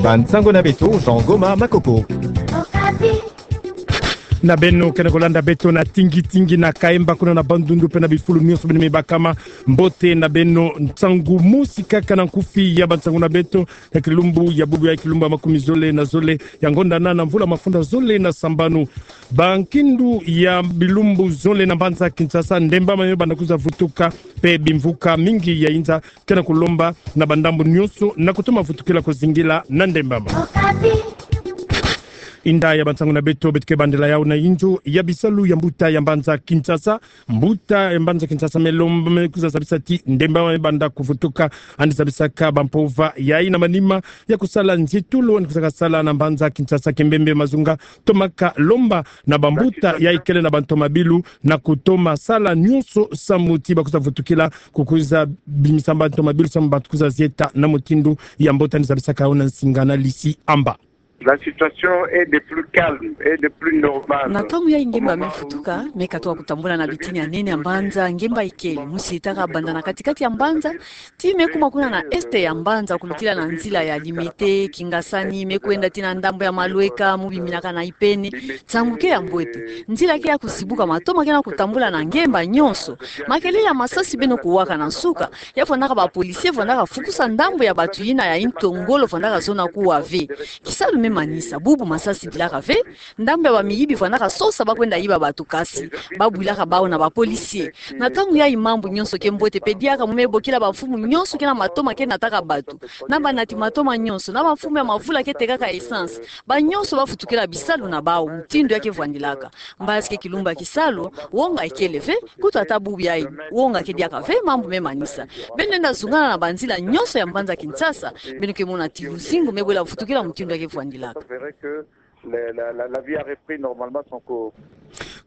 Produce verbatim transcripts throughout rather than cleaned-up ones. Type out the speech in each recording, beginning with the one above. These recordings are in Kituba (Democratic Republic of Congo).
Bansango na beto, Jean Goma Makoko. Na beno kena kolanda beto na tingi-tingi na Kaemba kuna na Bandundu pe na bifulu nionso beno me bakama, mbote na beno. Nsangu mosi kaka na nkufi ya bansango na beto ya kilumbu ya bubu ya kilumbu ya makumi zole na zole ya ngonda na, na mvula mafundi zole na sambanu. Bankindu ya bilumbu zole na mbanza Kinshasa, ndembama me banda kwiza vutuka, pe bimvuka mingi ya inza kena kolomba na bandambu nionso na kutoma vutukila kozingila na ndembama. Inda ya bansango na beto, beto ke bandela yau na inzo ya bisalu ya mbuta ya mbanza Kinshasa. Mbuta ya mbanza Kinshasa me lomba, me kwiza zabisa ti ndembama me banda kuvutuka, yandi zabisaka bampova yayi na manima ya kusala nzietolo yandi kwizaka sala na mbanza Kinshasa, Kimbembe, Mazunga, tomaka lomba na bambuta yayi kele na bantomabilu na kutoma sala nionso samu ti bakwiza vutukila, kukwiza bimisa bantomabilu samu bantu kwiza zieta na mutindu ya mbote. Yandi zabisaka yau na nsinga na Lisi Amba. La situation est de plus calme et de plus normale. Na ntangu yayi ngemba me vutuka, me katuka kutambula na bitini ya nene ya mbanza, ngemba ikele, musi itaka banda na kati-kati ya mbanza, ti me kuma kuna na est ya mbanza, kulutila na nzila ya Limete, Kingasani, me kwenda tii na ndambu ya Malweka, mu biminaka na Ipene. Nsangu ke ya mbwete. Nzila ke ya kuzibuka, matoma kena kutambula na ngemba nionso. Makelele ya masasi beno kuwaka na nsuka. Ya vandaka ba policiers vandaka fukusa ndambu ya bantu yina ya intongolo vandaka zona kuwa ve. Kisalu me manisa, bubu masasi dilaka ve. Ndambu ya bamiyibi vandaka sosa bakwenda yiba bantu, kasi babwilaka bau na ba policiers. Na ntangu yayi mambu nionso ke mbwete pe diaka, mu me bokila bamfumu nionso kena matoma ke nataka bantu, na banati matoma nionso, na bamfumu ya mavula ke tekaka essence, banionso bavutukila bisalu na bau mutindu ya ke vwandilaka. Mbazi ke kilumbu ya kisalu, wonga ikele ve. Kutu ata bubu yayi, wonga ke diaka ve, mambu me manisa. Beno lenda zungana na banzila nionso ya mbanza Kinshasa, beno ke mona ti luzingu me bwela vutukila mutindu ya ke vwandilaka. Vous verrez que la, la, la, la vie a repris normalement son cours.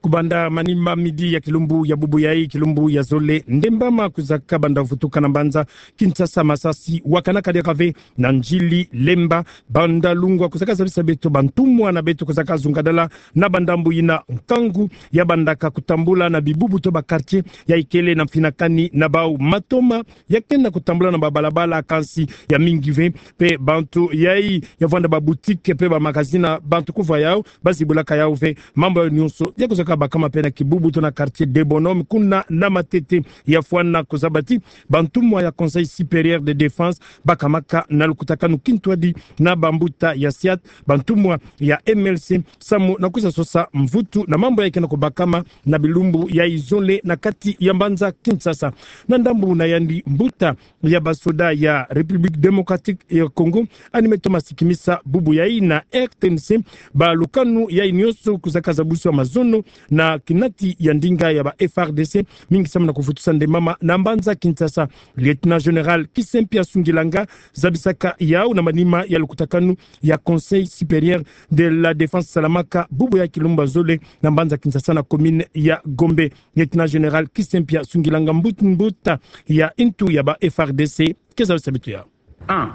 Kubanda manima midi ya kilumbu ya bubu yayi, kilumbu ya zole, ndembama kwizaka banda vutuka na mbanza Kinshasa, masasi wakanaka diaka ve na Ndjili, Lemba, Bandalungwa. Kwizaka zabisa beto bantumwa na beto kwizaka zungadala na bandambu yina, nkangu ya bandaka kutambula na bibubu to ba quartiers yayi kele na mfinakani na bau. Matoma ya kena kutambula na babalabala, kansi ya mingi ve. Pe bantu yayi ya vwanda ba boutiques pe ba magasins, bantu kuvwa yau, bazibulaka yau ve. Mambu yayi nionso ya kwizaka bakama pe na kibubu to na quartier des Bonhommes kuna na Matete. Ya fwana kuzaba ti bantumwa ya Conseil Supérieur de Défense bakamaka na lukutakanu kintwadi na bambuta ya SIAT, bantumwa ya M L C, samu na kwiza sosa mvutu na mambu yayi kena kubakama na bilumbu yayi zole na kati ya mbanza Kinshasa. Na ndambu na yandi, mbuta ya basoda ya République Démocratique ya Congo, yandi me toma sikimisa bubu yayi na R T N C balukanu yayi nionso kwizaka zabusiwa mazono na kinati ya ndinga ya ba F A R D C, mingi samu na kuvutusa ndembama na mbanza Kinshasa. Lieutenant-général Kisempia Sungilanga zabisaka yau na manima ya lukutakanu ya Conseil Supérieur de la Défense salamaka bubu ya kilumbu ya zole na mbanza Kinshasa na commune ya Gombe. Lieutenant-général Kisempia Sungilanga, mbut-, mbuta ya ntu ya ba F A R D C, ke zabisa beto yau. Un,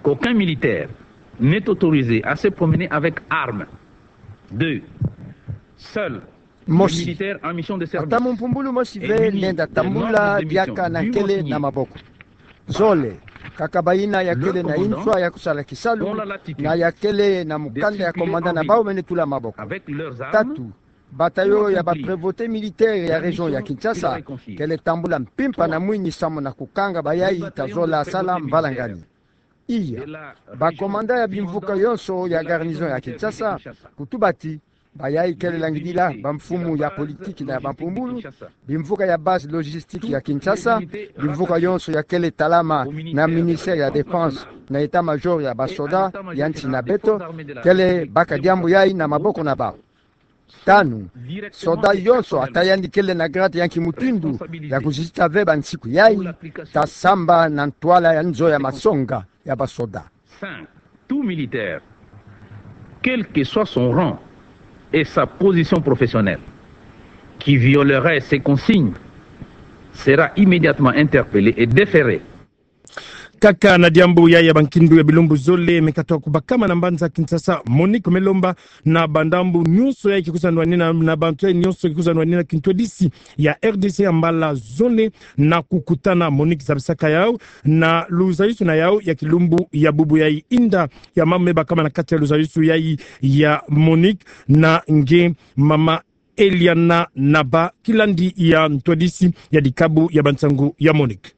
qu'aucun militaire n'est autorisé à se promener avec arme. Deux, seul Mosi. Ata mumpumbulu mosi ve lenda tambula diaka na nkele na maboko. Zole, kaka bayina ya kele na inswa ya kusala kisalu, na ya kele na mukanda ya komanda na bau mene tula maboko. Tatu, bataillon ya ba prévôté militaire ya région ya Kinshasa kele tambula mpimpa na mwini samu na kukanga bayayi ta zola sala mbalangani. Iya, ba commandant ya bimvuka yonso ya garnison ya Kinshasa, kutuba ti bayayi kele langidila bamfumu ya politique na ya bampumbulu, bimvuka ya base logistique ya Kinshasa, bimvuka yonso ya kele talama na ministère ya Défense na état-major ya basoda ya nsi na beto, kele baka diambu yayi na maboko na bau. Tanu, soda yonso ata yandi kele na grade ya nki mutindu ya kuzizita ve bansiku yayi, ta samba na ntwala ya nzo ya masonga ya basoda. Cinq, tout militaire, quel que soit son rang et sa position professionnelle, qui violerait ces consignes sera immédiatement interpellé et déféré. Kaka na diambu yayi ya bankindu ya bilumbu zole me katoa kubakama na mbanza Kinshasa, Monique me lomba na bandambu nyonso yayi ke kwiza nwanina, na bantu yayi nyonso ke kwiza nwanina kintwadisi ya R D C ya mbala zole na kukutana. Monique zabisaka yawu na luzayusu na yawu ya kilumbu ya bubu yayi. Inda ya mambu me bakama na kati ya luzayusu yayi ya Monique na nge mama Eliana Naba, kilandi ya ntwadisi ya dikabu ya bansangu ya Monique.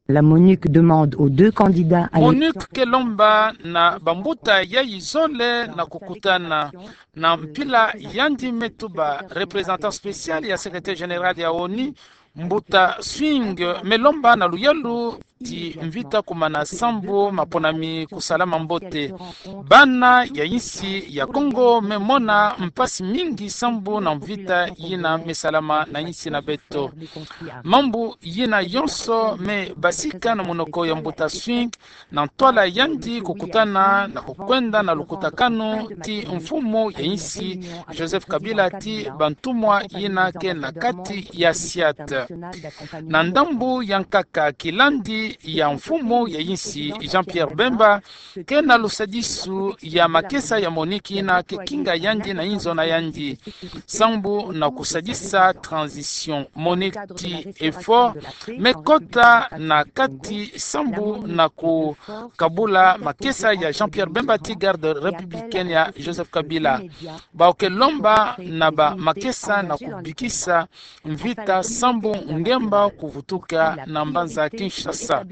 La Monique demande aux deux candidats à Monique ke lomba na bambuta yayi zole na kukutana. Na mpila yandi me tuba, représentant spécial ya secrétaire général ya ONU, mbuta Swing me lomba na luyalu ti mvita kumana sambu maponami kusalama mbote. Bana ya insi ya Kongo me mona mpasi mingi sambu na mvita yina me salama na insi na beto. Mambu yina yonso me basika na munoko ya mbuta Swing na ntwala yandi kukutana na kukwenda na lukutakanu ti mfumu ya insi Joseph Kabila ti bantumwa yina ke na kati ya SIAT. Na ndambu ya nkaka, kilandi ya mfumu ya insi Jean-Pierre Bemba ke na lusadisu ya makesa ya Monique yina ke kinga yandi na inzo na yandi sambu na kusadisa transition. Monique ti effort me kota na kati sambu na kukabula makesa ya Jean-Pierre Bemba ti garde républicaine ya Joseph Kabila. Bawu ke lomba na bamakesa na kubikisa mvita sambu ngemba kuvutuka na mbanza Kinshasa.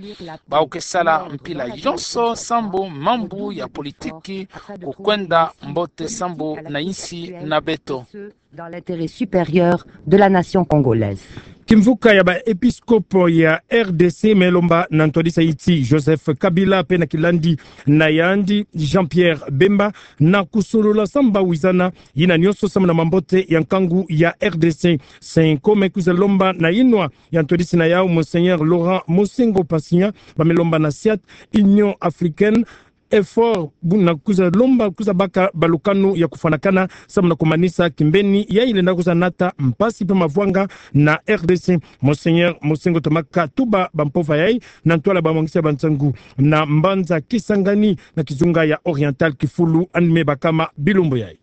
Bawu ke sala mpila yonso sambu mambu ya politiki kukwenda mbote sambu na insi na beto. Dans l'intérêt supérieur de la nation congolaise. Kimvuka ya baepiskopo ya R D C me lomba na ntwadisi ti Joseph Kabila pe na kilandi na yandi Jean-Pierre Bemba na kusolola sambu wizana yina nionso samu na mambote ya nkangu ya R D C. Senko me kwiza lomba na inwa ya ntwadisi na yau Monseigneur Laurent Mosengo Pasinya, ba me lomba na SIAT, Union Africaine, effort bu na kwiza lomba, kwiza baka balukanu ya kufwanakana samu na kumanisa kimbeni yayi lenda kwiza nata mpasi pe mavwanga na R D C. Monseigneur Mosengo tomaka tuba bampova yayi na ntwala bamwangisi ya bansangu na mbanza Kisangani na kizunga ya Oriental Kifulu, yandi me bakama bilumbu yayi.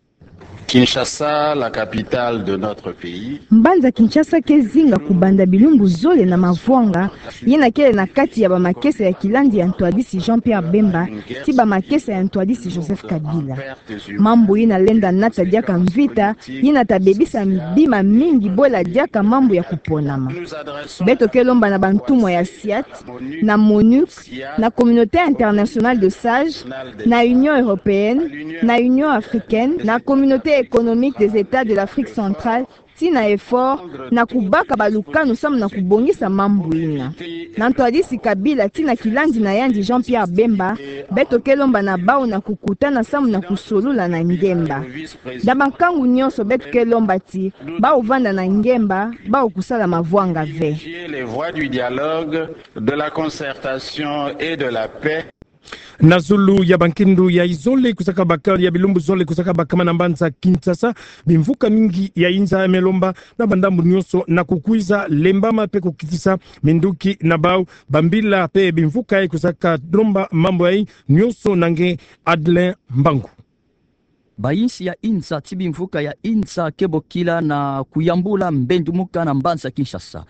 Kinshasa, la capitale de notre pays. Mbanza Kinshasa ke zinga kubanda bilumbu zole na mavwanga yina kele na kati ya bamakesa ya kilandi ya ntwadisi Jean-Pierre Bemba ti bamakesa ya ntwadisi Joseph Kabila. Mambu yina lenda nata diaka mvita yina ta bebisa bima mingi bwela diaka mambu ya kuponama. Beto ke lomba na bantumwa ya SIAT, na MONUC, na Communauté Internationale de Sages, na Union Européenne, na Union Africaine, na Communauté Économique des États de l'Afrique Centrale, ti na effort na kubaka balukanu samu na kubongisa mambu yina. Na ntwadisi Kabila ti na kilandi na yandi Jean-Pierre Bemba, beto ke lomba na bau na kukutana samu na kusolula na ngemba. Na bankangu nionso beto ke lomba ti bau vanda na ngemba, bau kusala mavwanga ve. Privilégier les voies du dialogue, de la concertation et de la paix. Na zulu ya bankindu ya izole kwizaka baka, ya bilumbu zole kwizaka bakama na mbanza Kinshasa, bimvuka mingi ya inza me lomba na bandambu nionso na kukwiza lembama pe kukitisa minduki na bau. Bambila pe bimvuka yayi kwizaka lomba mambu yayi nionso na nge Adelin Mbangu. Bayinsi ya inza ti bimvuka ya inza ke bokila na kuyambula mbendumuka na mbanza Kinshasa.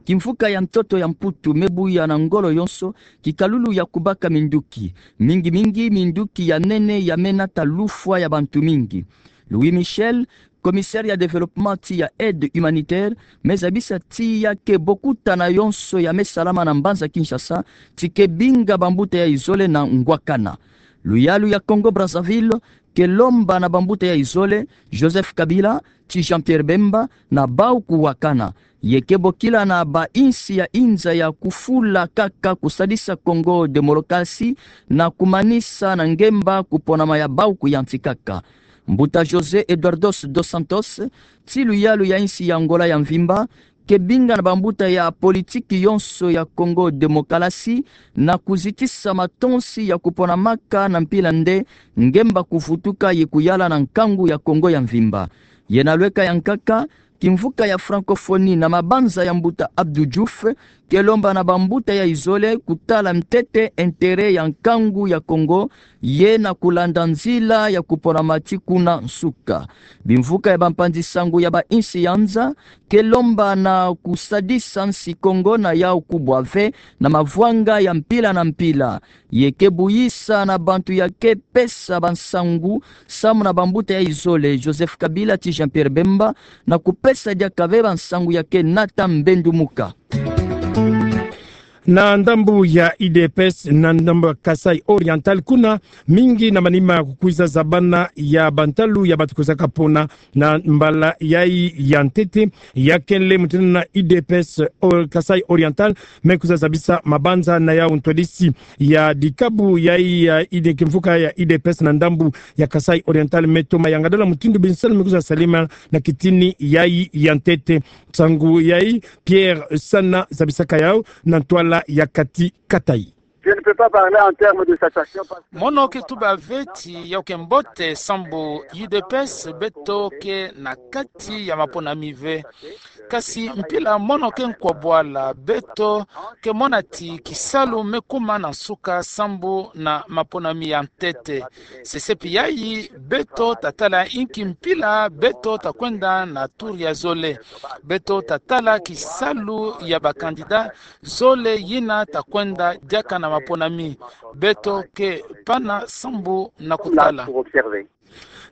Kimvuka ya ntoto ya Mputu me buya na ngolo yonso kikalulu ya kubaka minduki. Mingi mingi minduki ya nene ya me nata lufwa ya bantu mingi. Louis Michel, commissaire ya développement ti ya aide humanitaire, me zabisa ti ya ke bokuta na yonso ya me salama na mbanza Kinshasa, ti ke binga bambuta ya izole na ngwakana. Luyalu ya Congo Brazzaville ke lomba na bambuta ya izole, Joseph Kabila, ti Jean-Pierre Bemba, na bau kuwakana. Ye ke bokila na bayinsi ya inza ya kufula kaka kusadisa Congo Démocratie na kumanisa na ngemba kuponama ya bau kuyantikaka. Mbuta José Eduardo dos Santos, ti luyalu ya insi ya Angola ya mvimba, ke binga na bambuta ya politiki yonso ya Congo Démocratie na kuzitisa matonsi ya kuponamaka na mpila nde ngemba kuvutuka ye kuyala na nkangu ya Congo ya mvimba. Ye na lweka ya nkaka, kimvuka ya francophonie na mabanza ya mbuta Abdou Diouf ke lomba na bambuta ya izole kutala ntete intérêt ya nkangu ya Kongo, ye na kulanda nzila ya kupona mati kuna nsuka. Bimvuka ya bampanzi sango ya ba insi ya nza ke lomba na kusadisa nsi Kongo na yau kubwa ve na mavwanga ya mpila na mpila. Ye ke buyisa na bantu ya ke pesa bansangu samu na bambuta ya izole, Joseph Kabila ti Jean-Pierre Bemba, na kupesa diaka ve bansangu ya ke nata mbendumuka. Na ndambu ya U D P S, na ndambu ya Kasaï Oriental, kuna mingi na manima kukwiza zabana ya bantalu ya bantu kwizaka pona na mbala yayi ya ntete, ya kele mutindu na U D P S Or-, Kasaï Oriental me kwiza zabisa mabanza na yau. Ntwadisi ya dikabu yayi ya U D P, kimvuka ya U D P S na ndambu ya Kasaï Oriental me toma yangadala mutindu binsalu me kwiza salama na kitini yayi ya ntete. Nsangu yayi, Pierre Sana zabisaka yau na ntwala ya kati katayi. Je ne peux pas parler en termes de satisfaction parce que mono ke tuba ve ti yau ke mbote sambu U D P S beto ke na kati ya maponami ve. Kasi mpila mono ke nkwa bwala, beto ke mona ti kisalu me kuma na nsuka sambu na maponami ya ntete. Sesepi yayi beto tatala inki mpila beto takwenda na tour ya zole. Beto tatala kisalu ya ba candidat zole yina takwenda diaka na maponami. Beto ke pana sambu na kutala.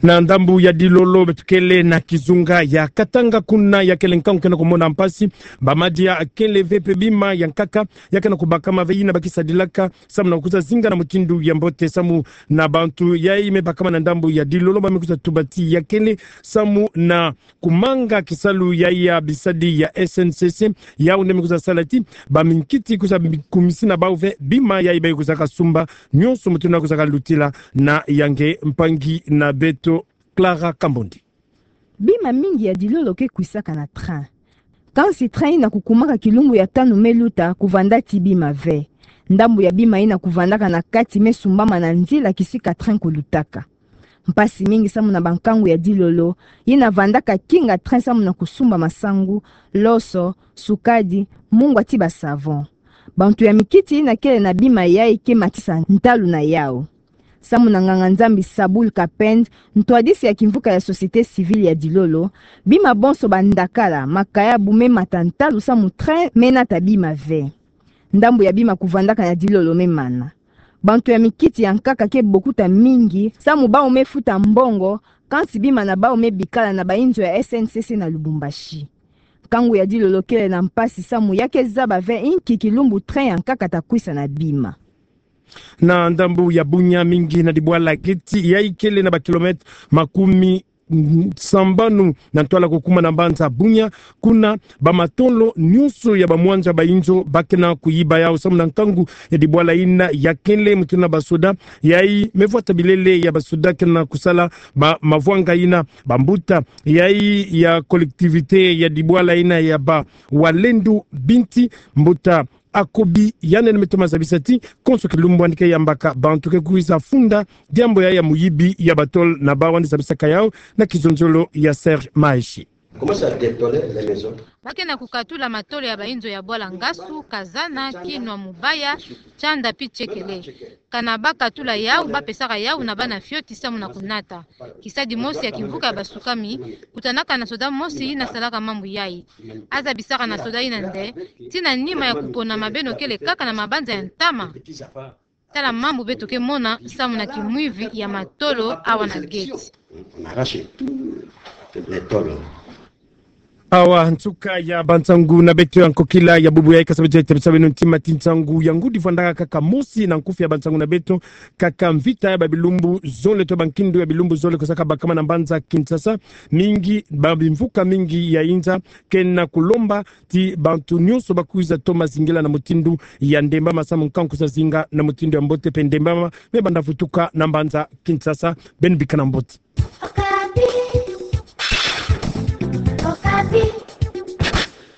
Na ndambu ya Dilolo beto kele na kizunga ya Katanga, kuna ya kele nkangu ke na kumona mpasi. Ba madia kele ve pe bima ya nkaka ya ke na kubakama ve yina ba kisadilaka samu na kwiza zinga na mutindu ya mbote. Samu na bantu yayi me bakama na ndambu ya Dilolo ba me kwiza tuba ti ya kele samu na kumanga kisalu yayi ya bisadi ya S N C C, yau nde me kwiza sala ti ba minkiti kwiza mi-, kumisi na bau ve bima yayi ba kwizaka sumba, nionso mutindu na kwizaka lutila. Na yanga mpangi na beto Clara Kambondi. Bima mingi ya Dilolo ke kwisaka na train. Kansi train yina kukumaka kilumbu ya tanu me luta, kuvanda ti bima ve. Ndambu ya bima yina kuvandaka na kati me sumbama na nzila kisika train kulutaka. Mpasi mingi samu na bankangu ya Dilolo yina vandaka kinga train samu na kusumba masangu, loso, sukadi, mungwa ti ba savon. Bantu ya mikiti yina kele na bima yayi ke matisa ntalu na yau. Samu na nganga-Nzambi Saboul Kapend, ntwadisi ya kimvuka ya société civile ya Dilolo, bima bonso ba ndakala, makayabu me mata ntalu samu train me nata bima ve. Ndambu ya bima kuvandaka na Dilolo me mana. Bantu ya mikiti ya nkaka ke bokuta mingi samu bau me futa mbongo, kansi bima na bau me bikala na ba inzo ya S N C C na Lubumbashi. Nkangu ya Dilolo kele na mpasi samu ya ke zaba ve inki kilumbu train ya nkaka takwisa na bima. Na ndambu ya Bunia, mingi na dibwala geti yayi kele na ba kilomètre makumi sambanu na ntwala kukuma na mbanza Bunia, kuna ba matolo nionso ya ba mwanja ba inzo ba ke na kuyiba yau samu na nkangu ya dibwala yina ya kele. Mutindu na ba soda yayi me vwata bilele ya ba soda ke na kusala ba mavwanga yina. Bambuta yayi ya collectivité ya dibwala yina ya ba Walendu Binti, mbuta Akobi, yandi me toma zabisa ti konso kilumbu yandi ke yambaka bantu ke kwiza funda diambu ya, ya muyibi ya batolo na bau, yandi zabisaka yau na kizonzolo ya Serge Maeshe. Comment ça, détoler les maisons ? Ba ke na kukatula matolo ya ba inzo ya bwala Ngasu, Kazana, Kinwa, Mubaya, Tianda pi Tiekele. Kana ba katula yau, ba pesaka yau na bana fioti samu na kunata. Kisadi mosi ya kimvuka ya basukami kutanaka na soda mosi yina salaka mambu yayi. A zabisaka na soda yina nde, ti na nima ya kupona mabeno kele kaka na mabanza ya ntama. Tala mambu beto ke mona samu na kimwivi ya matolo awa na geti. On arrache tout le tôle. Awa nsuka ya bansangu na beto ya nkokila ya bubu yayi. Kasa beto ya tebisa beno ntima ti nsangu ya ngudi vwandaka kaka mosi na nkufi ya bansangu na beto. Kaka mvita ya ba bilumbu zole to ba nkindu ya bilumbu zole kwizaka bakama na mbanza Kinshasa. Mingi, ba bimvuka mingi ya inza ke na kulomba ti bantu nionso ba kwiza toma zingila na mutindu ya ndembama samu nkangu kwiza zinga na mutindu ya mbote pe ndembama me banda vutuka na mbanza Kinshasa. Beno bikana mbote.